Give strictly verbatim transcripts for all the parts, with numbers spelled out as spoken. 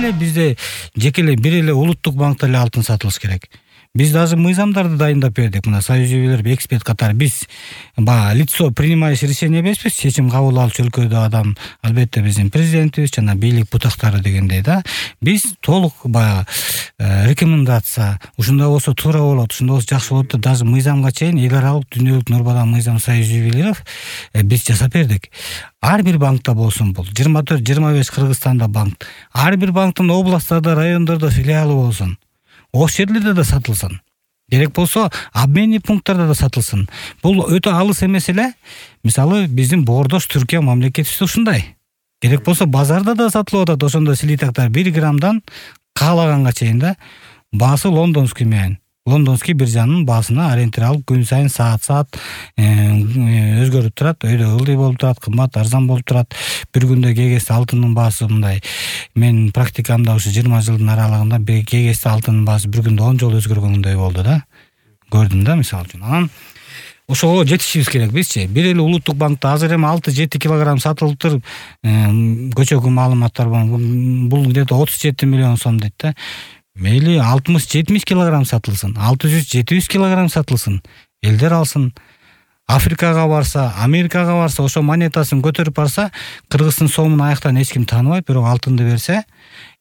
эле бизде жеке эле бир эле улуттук банкта эле алтын сатылыш керек. Биз даже мыйзамдарды дайындап бердик. Мына союзбилер эксперт катары биз баягы лицо принимающий решение эмеспиз, чечим кабыл алуучу өлкөдө адам албетте биздин президентибиз жана бийлик бутактары дегендей да. Биз толук баягы рекомендация, ушундай болсо туура болот, ушундай болсо жакшы болот деп даже мыйзамга чейин эл аралык дүйнөлүк нормадан мыйзам союзбилеров биз жасап бердик. Ар бир банкта болсун бул жыйырма төрт жыйырма беш Кыргызстанда банк, ар бир банктын областтарда, райондордо филиалы болсун. Ош жерлерде да сатылсын. Керек болсо обменный пункттарда да сатылсын. Бул өтө алыс эмес эле. Мисалы биздин боордош Түркия мамлекетибизде ушундай. Керек болсо базарда да сатылып атат ошондой слитактар бир граммдан каалаганга чейин да. Баасы лондонский менен. Лондонский биржанын баасына ориентир алып күн сайын саат-саат өзгөрүп турат, өйдө ылдый болуп турат, кымбат, арзан болуп турат. Бир күндө кегесте алтындын баасы мындай. Мен практикамда ушу жыйырма жылдын аралыгында кегесте алтындын баасы бир күндө он жолу өзгөргөндөй болду да. Көрдүм да мисалы үчүн. Анан ошого жетишибиз керек бизчи. Бир эле улуттук банкта азыр эми алты жети килограмм сатылып туруп, көчөгү маалыматтар бар. Бул где-то отуз жети миллион сом дейт да. Мейли алтымыш жетимиш килограмм сатылсын, алты жүз жети жүз килограмм сатылсын, элдер алсын. Африкага барса, Америкага барса, ошо монетасын көтөрүп барса, Кыргыздын сомун аяктан эч ким тааныбайт, бирок алтынды берсе,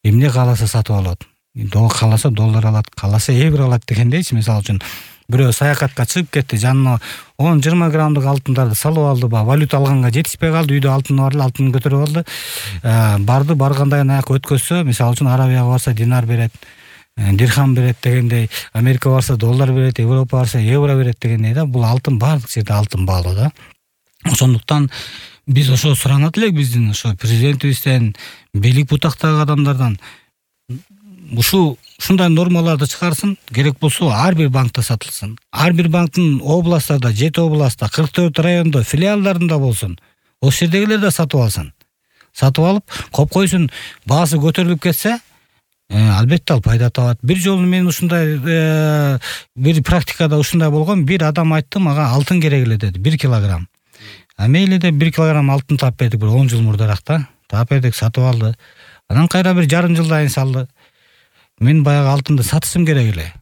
эмне кааласа сатып алат. Доллар кааласа доллар алат, кааласа евро алат дегендейчи. Мисалы үчүн бирөө саякатка чыгып кетти, жанына он жыйырма граммдык алтындарды салып алды, ба валюта алганга жетишпей калды, үйдө алтын бар эле, алтынын көтөрүп алды. Барды, баргандайын аяк өткөзсө, мисалы үчүн Арабияга барса динар берет, дирхам берет дегендей, Америка барса доллар берет, Европа барса евро берет дегендей да. Бул алтын баардык жерде алтын баалуу да. Ошондуктан биз ошо суранат элек биздин ошо президентибизден, бийлик бутактагы адамдардан ушу ушундай нормаларды чыгарсын, керек болсо ар бир банкта сатылсын. Ар бир банктын областтарда, жети областта, кырк төрт райондо филиалдарында болсун. Ошол жердегилер да сатып алсын. Сатып алып, коп койсун, баасы көтөрүлүп кетсе, албетте ал пайда табат. Бир жолу мен ушундай бир практикада ушундай болгон, бир адам айтты мага алтын керек эле деди, бир килограмм. А мейли деп бир килограмм алтын таап бердик, бир он жыл мурдараак да. Таап бердик, сатып алды. Анан кайра бир жарым жылдан кийин салды. Мен баягы алтынды сатышым керек эле.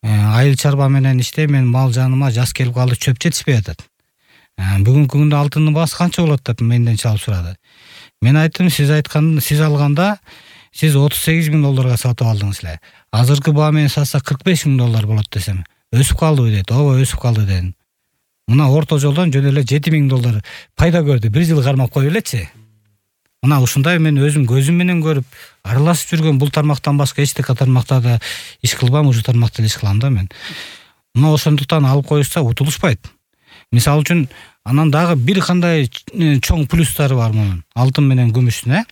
Айыл чарба менен иштейм, мен мал жаныма жаш келип калды, чөп жетишпей атат. Бүгүнкү күндө алтындын баасы канча болот деп менден чалып сурады. Мен айттым, сиз айткан, сиз алганда сиз отуз сегиз миң долларга сатып алдыңыз эле. Азыркы баа менен сатса кырк беш миң доллар болот десем, өсүп калдыбы дейт. Ооба, өсүп калды дедим. Мына орто жолдон жөн эле жети миң доллар пайда көрдү. Бир жыл кармап коюп элечи. Мына ушундай мен өзүм көзүм менен көрүп, аралашып жүргөн бул тармактан башка эчтеке тармакта да иш кылбам, ушу тармакта эле иш кылам да мен. Мына ошондуктан алып коюшса утулушпайт. Мисалы үчүн анан дагы бир кандай чоң плюстары бар мунун, алтын менен күмүштүн, э?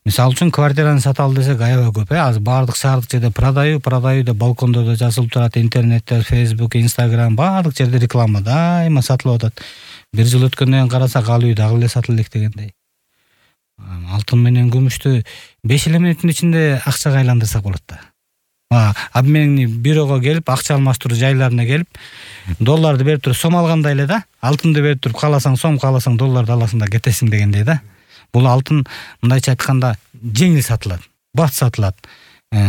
Мисалы үчүн квартираны сата ал десек аябай көп, э? Азыр баардык шаардык жерде продаю, продаю деп балкондордо жазылып турат, интернетте, Facebook, Instagram, баардык жерде реклама дайыма сатылып атат. Бир жыл өткөндөн кийин карасак ал үй дагы эле сатылып элек дегендей. Алтын менен күмүштү беш эле мүнөттүн ичинде акчага айландырсак болот да. Обменный бюрого келип, акча алмаштыруу жайларына келип, долларды берип туруп сом алгандай эле да, алтынды берип туруп кааласаң сом, кааласаң долларды аласың да кетесиң дегендей да. Бул алтын мындайча айтканда жеңил сатылат, бат сатылат,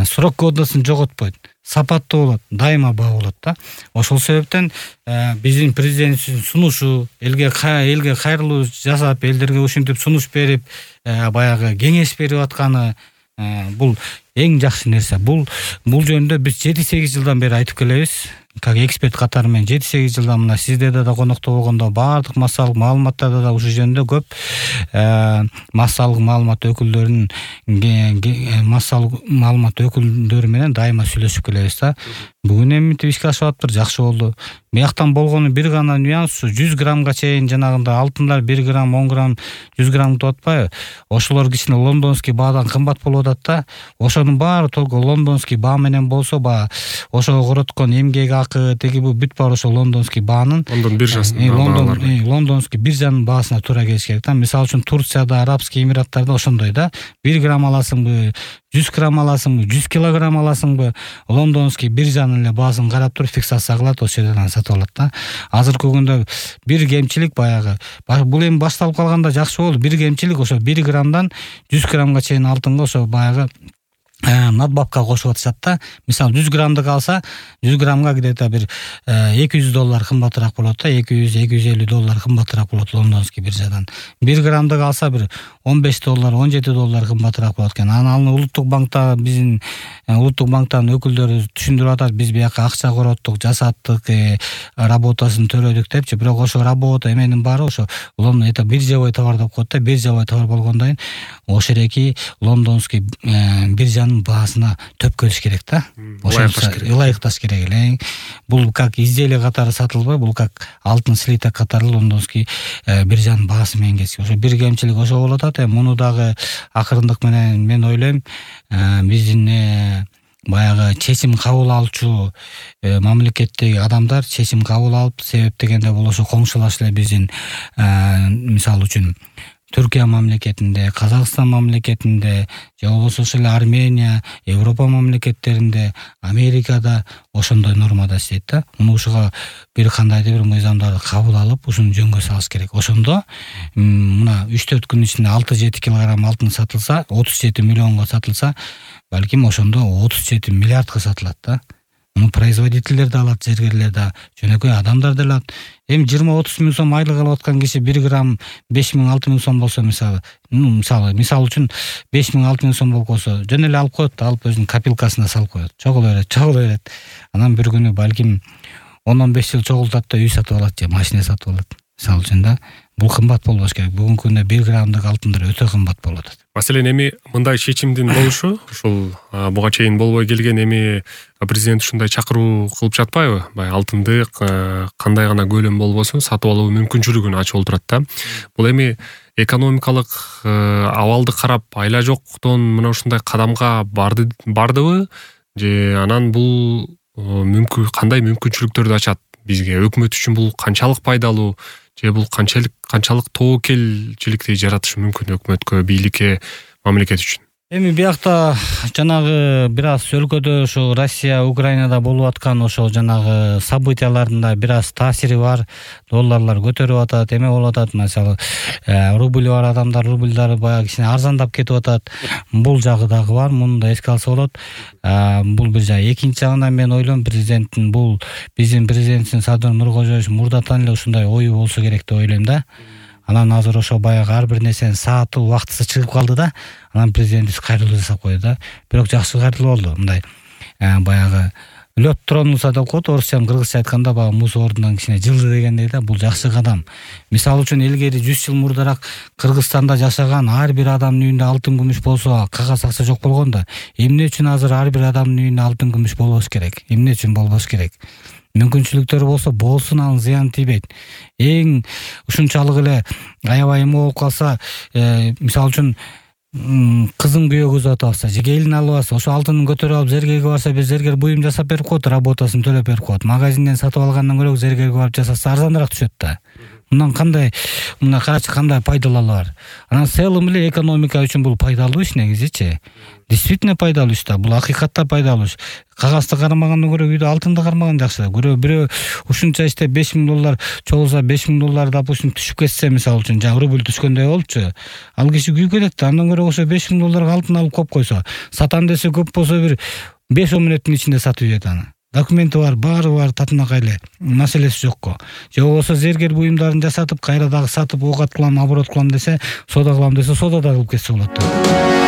срок годностун жоготпойт, сапаттуу болот, дайыма баа болот да. Ошол себептен биздин президентибиздин сунушу, элге элге кайрылуу жасап, элдерге ушинтип сунуш берип, баягы кеңеш берип атканы бул эң жакшы нерсе. Бул бул жөнүндө биз жети сегиз жылдан бери айтып келебиз. Как эксперт катары менен жети сегиз жылдан мына сиздерде да конокто болгондо баардык массалык маалыматтарда да ушул жөнүндө көп массалык маалымат өкүлдөрүнүн массалык маалымат өкүлдөрү менен дайыма сүйлөшүп келебиз да. Бүгүн эми мынтип ишке ашып атыптыр, жакшы болду. Бияктан болгону бир гана нюанс, жүз граммга чейин жанагында алтындар бир грамм, он грамм, жүз грамм деп атпайбы? Ошолор кичине лондонский баадан кымбат болуп атат да. Ошонун баары только лондонский баа менен болсо, ба ошого короткон эмгек акы, теги бу бүт баары ошо лондонский баанын, Лондон биржасынын баалары. Лондонский биржанын баасына туура келиш керек да. Мисалы үчүн Турцияда, Арабский Эмираттарда ошондой да. бир грамм аласыңбы, жүз грамм аласыңбы, жүз килограмм аласыңбы, лондонский биржанын эле баасын карап туруп фиксация кылат, ошол жерден сатып алат да. Азыркы күндө бир кемчилик баягы, бул эми башталып калганда жакшы болду. Бир кемчилик ошо бир граммдан жүз граммга чейин алтынга ошо баягы надбавка кошуп атышат да. Мисалы жүз граммдык алса, жүз граммга где-то бир эки жүз доллар кымбатыраак болот да, эки жүз эки жүз элүү доллар кымбатыраак болот лондонский биржадан. бир граммдык алса бир он беш доллар, он жети доллар кымбатыраак болот экен. Анан улуттук банкта биздин улуттук банктын өкүлдөрү түшүндүрүп атат, биз бияка акча короттук, жасаттык, работасын төлөдүк депчи. Бирок ошо работа эменин баары ошо Лондон это биржевой товар деп коет да. Биржевой товар болгондон кийин ошо эки лондонский биржанын баасына төп келиш керек да. Ылайыкташ керек эле. Бул как изделие катары сатылбай, бул как алтын слиток катары лондонский биржанын баасы менен келиш. Ошо бир кемчилик ошо болуп атат. Муну дагы акырындык менен мен ойлойм, биздин баягы чечим кабыл алуучу мамлекеттеги адамдар чечим кабыл алып, себеп дегенде бул ошо коңшулаш эле биздин мисалы үчүн Түркия мамлекетинде, Казакстан мамлекетинде, же болбосо ошол эле Армения, Европа мамлекеттеринде, Америкада ошондой нормада иштейт да. Муну ушуга бир кандайдыр бир мыйзамдарды кабыл алып, ушуну жөнгө салыш керек. Ошондо мына үч төрт күн ичинде алты жети килограмм алтын сатылса, отуз жети миллионго сатылса, балким ошондо отуз жети миллиардга сатылат да. Муну производительдер да алат, зергерлер да, жөнөкөй адамдар да алат. Эми жыйырма отуз миң сом айлык алып аткан киши бир грамм беш миң алты миң сом болсо, мисалы, ну мисалы, мисалы үчүн беш миң алты миң сом болсо, жөн эле алып коет, алып өзүнүн копилкасына салып коет. Чогулуп берет, чогулуп берет. Анан бир күнү балким он он беш жыл чогултат да үй сатып алат же машина сатып алат. Мисалы үчүн да, бул кымбат болбош керек. Бүгүнкү күндө бир граммдык алтындар өтө кымбат болуп атат. Маселен эми мындай чечимдин болушу, ушул буга чейин болбой келген эми президент ушундай чакыруу кылып жатпайбы? Бай алтынды кандай гана көлөм болбосун сатып алуу мүмкүнчүлүгүн ачып олтурат да. Бул эми экономикалык абалды карап айла жоктон мына ушундай кадамга барды бардыбы? Же анан бул мүмкүн кандай мүмкүнчүлүктөрдү ачат бизге? Өкмөт үчүн бул канчалык пайдалуу? Же бул канчалык канчалык тобокелчиликти жаратышы мүмкүн өкмөткө, бийликке, мамлекет үчүн? Эми биякта жанагы бир аз өлкөдө ошо Россия, Украинада болуп аткан ошо жанагы событиялардын да бир аз таасири бар. Долларлар көтөрүп атат, эме болуп атат. Мисалы, рубль бар адамдар рубльдары баягы кичине арзандап кетип атат. Бул жагы дагы бар, муну да эске алса болот. Бул бир жагы. Экинчи жагынан мен ойлойм, президенттин бул биздин президентибиз Садыр Нуркожоевич мурдатан эле ушундай ою болсо керек деп ойлойм да. Анан азыр ошо баягы ар бир нерсенин сааты, убактысы чыгып калды да. Анан президентибиз кайрылуу жасап койду да. Бирок жакшы кайрылуу болду. Мындай баягы лёд тронулся деп коет, орусча, кыргызча айтканда баягы муз ордунан кичине жылды дегендей да. Бул жакшы кадам. Мисалы үчүн илгери жүз жыл мурдараак Кыргызстанда жашаган ар бир адамдын үйүндө алтын күмүш болсо, кагаз акча жок болгондо, эмне үчүн азыр ар бир адамдын үйүндө алтын күмүш болбош керек? Эмне үчүн болбош керек? Мүмкүнчүлүктөрү болсо болсун, анын зыяны тийбейт. Эң ушунчалык эле аябай эме болуп калса, мисалы үчүн кызын күйөөгө узатып алса, же келин алып алса, ошо алтынын көтөрүп алып зергерге барса, бир зергер буюм жасап берип коет, работасын төлөп берип коет. Магазинден сатып алгандан көрө зергерге барып жасаса арзаныраак түшөт да. Мындан кандай, мына карачы кандай пайдалары бар. Анан целым эле экономика үчүн бул пайдалуу иш негизичи. Действительно пайдалуу иш да, бул акыйкатта пайдалуу иш. Кагазды кармагандан көрө үйдө алтынды кармаган жакшы. Көрө бирөө ушунча иштеп беш миң доллар чогулса, беш миң доллар допустим түшүп кетсе, мисалы үчүн, жана рубль түшкөндөй болчу. Ал киши күйгөнөт да, андан көрө ошо беш миң долларга алтын алып коюп койсо, сатам десе көп болсо бир беш он мүнөттүн ичинде сатып жиберет аны. Документи бар, баары бар, татынакай эле, маселеси жокко. Же болбосо зергер буюмдарын жасатып, кайра дагы сатып, оокат кылам, оборот кылам десе, соода кылам десе, соода да кылып кетсе болот да.